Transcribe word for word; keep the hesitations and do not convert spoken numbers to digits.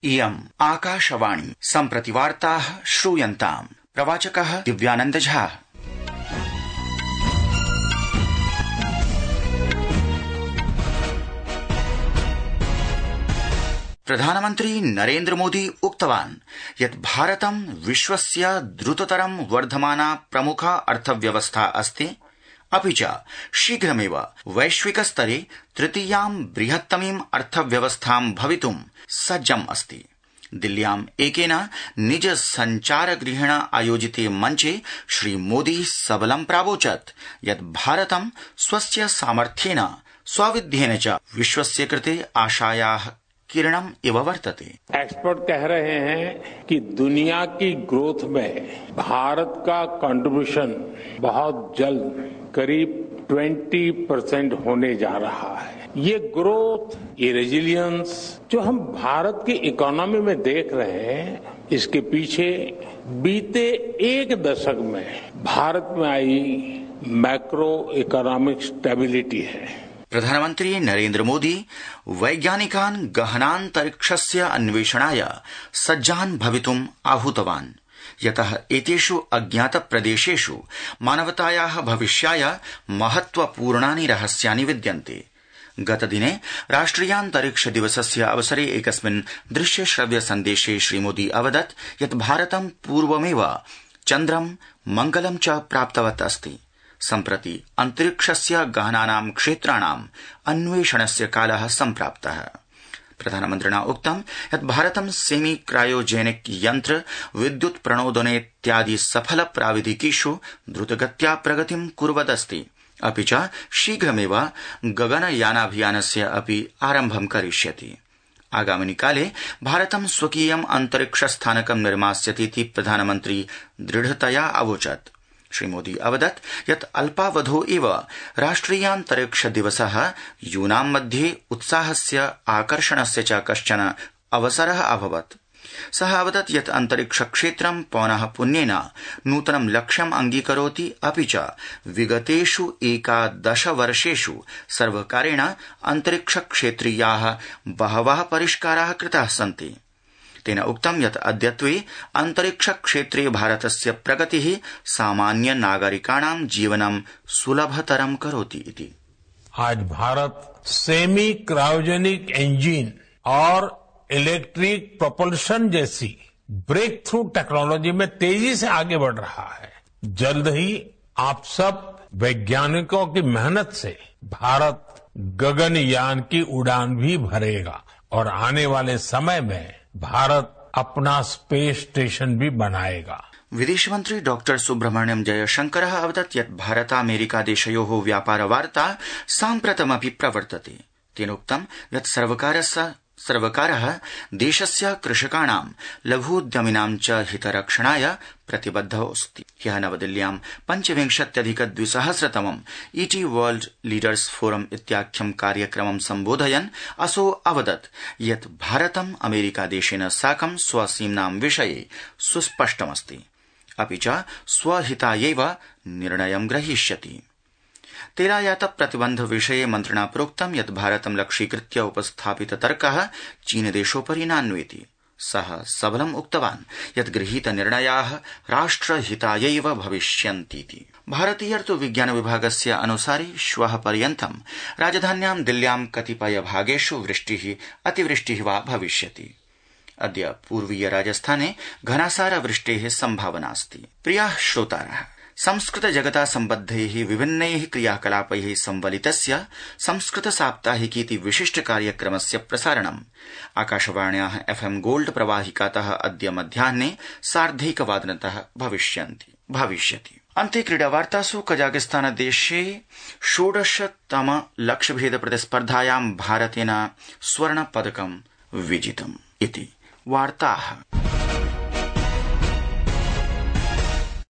इयम् आकाशवाणी सम्प्रति वार्ताः श्रूयन्ताम्। प्रवाचकः दिव्यानंद झा। प्रधानमन्त्री नरेन्द्र मोदी उक्तवान् यत् भारतं विश्वस्य द्रुततरं वर्धमाना प्रमुखा अर्थव्यवस्था अस्ति, अपि च शीघ्रमेव वैश्विक स्तरे तृतीयां बृहत्तमीं अर्थव्यवस्थां भवितुं सज्जम् अस्ति। दिल्ल्याम् एकेन निज सञ्चारगृहेण आयोजिते मञ्चे श्रीमोदी सबलं प्रावोचत् यत् भारतं स्वस्य सामर्थ्येन स्वविध्येन च विश्वस्य कृते आशायाः किरणम इव वर्तते। एक्सपर्ट कह रहे हैं कि दुनिया की ग्रोथ में भारत का कंट्रीब्यूशन बहुत जल्द करीब बीस परसेंट होने जा रहा है। ये ग्रोथ, ये रेजिलियंस जो हम भारत की इकोनॉमी में देख रहे हैं, इसके पीछे बीते एक दशक में भारत में आई मैक्रो इकोनॉमिक स्टेबिलिटी है। प्रधानमन्त्री नरेन्द्र मोदी वैज्ञानिकान् गहनान्तरिक्षस्य अन्वेषणाय सज्जान् भवितुम् आहूतवान्, यतः एतेषु अज्ञात प्रदेशेषु मानवतायाः भविष्याय महत्वपूर्णानि रहस्यानि विद्यन्ते। गतदिने राष्ट्रियान्तरिक्ष दिवसस्य अवसरे एकस्मिन् दृश्य श्रव्य सन्देशे श्रीमोदी अवदत् यत् भारतं पूर्वमेव चन्द्रं मंगलं च प्राप्तवत् अस्ति। सम्प्रति अन्तरिक्षस्य गहनानां क्षेत्राणाम् अन्वेषणस्य कालः सम्प्राप्तः। प्रधानमन्त्रिणा उक्तं यत् भारतं सेमी क्रायोजेनिक यन्त्र, विद्युत् प्रणोदनेत्यादि सफल प्राविधिकीषु द्रुतगत्या प्रगतिं कुर्वदस्ति, अपि च शीघ्रमेव गगनयानाभियानस्य अपि आरम्भं करिष्यति। आगामिनि काले भारतं स्वकीयम् अन्तरिक्षस्थानकं निर्मास्यतीति प्रधानमन्त्री दृढतया अवोचत्। श्रीमोदी अवदत् यत् अल्पावधौ एव राष्ट्रियान्तरिक्ष दिवसः यूनां मध्ये उत्साहस्य आकर्षणस्य च कश्चन अवसरः अभवत्। सः अवदत् यत् अन्तरिक्ष क्षेत्रं पौनः पुन्येन नूतनं लक्ष्यम् अङ्गीकरोति, अपि च विगतेषु एकादश वर्षेषु सर्वकारेण अन्तरिक्ष क्षेत्रीयाः बहवः परिष्काराः कृताः सन्ति। तेन उक्तं यत् अद्यत्वे अन्तरिक्ष क्षेत्रे भारतस्य प्रगतिः सामान्य नागरिकाणां जीवनं सुलभतरं करोति इति। आज भारत सेमी क्रायोजेनिक इंजन और इलेक्ट्रिक प्रोपल्शन जैसी ब्रेक थ्रू टेक्नोलॉजी में तेजी से आगे बढ़ रहा है। जल्द ही आप सब वैज्ञानिकों की मेहनत से भारत गगनयान की उड़ान भी भरेगा और आने वाले समय में भारत अपना स्पेस स्टेशन भी बनाएगा। विदेश मंत्री डॉक्टर सुब्रह्मण्यम जयशंकरः अवदत् यत् भारतामेरिका देशयोः व्यापार वार्ता साम्प्रतमपि प्रवर्तते। तेनोक्तं यत् सर्वकारस्य सर्वकारः देशस्य कृषकाणां, लघूद्यमिनां च हितरक्षणाय प्रतिबद्धोऽस्ति। ह्यः नवदिल्ल्यां पञ्चविंशत्यधिक द्विसहस्रतमम् ईटी वर्ल्ड लीडर्स फोरम इत्याख्यं कार्यक्रमं सम्बोधयन् असौ अवदत् यत् भारतम् अमेरिकादेशेन साकं स्वसीम्नां विषये सुस्पष्टमस्ति, अपि च स्वहितायैव निर्णयं ग्रहीष्यति। तेलायात प्रतिबन्ध विषये मन्त्रिणा प्रोक्तं यत् भारतं लक्ष्यीकृत्य उपस्थापित तर्कः चीनदेशोपरि नान्वेति। सः सबलम् उक्तवान् यत् गृहीत निर्णयाः राष्ट्रहितायैव भविष्यन्तीति। भारतीयर्तु विज्ञान विभागस्य अनुसारि श्वः पर्यन्तं राजधान्यां दिल्ल्यां कतिपय भागेषु वृष्टिः अतिवृष्टिः वा भविष्यति। अद्य पूर्वीय राजस्थाने घनासार वृष्टेः सम्भावनास्ति। प्रियाः श्रोतारः, संस्कृत जगता सम्बद्धैः विभिन्नैः क्रियाकलापैः संवलितस्य संस्कृत साप्ताहिकीति विशिष्ट कार्यक्रमस्य प्रसारणम् आकाशवाण्याः एफएम गोल्ड प्रवाहिकातः अद्य मध्याह्ने सार्धैकवादनतः भविष्यन्ति भविष्यति। अन्ते क्रीडावार्तासु कजाकिस्तान देशे षोडशतम लक्ष्यभेद प्रतिस्पर्धायां भारतेन स्वर्ण पदकं विजितम् इति वार्ताः।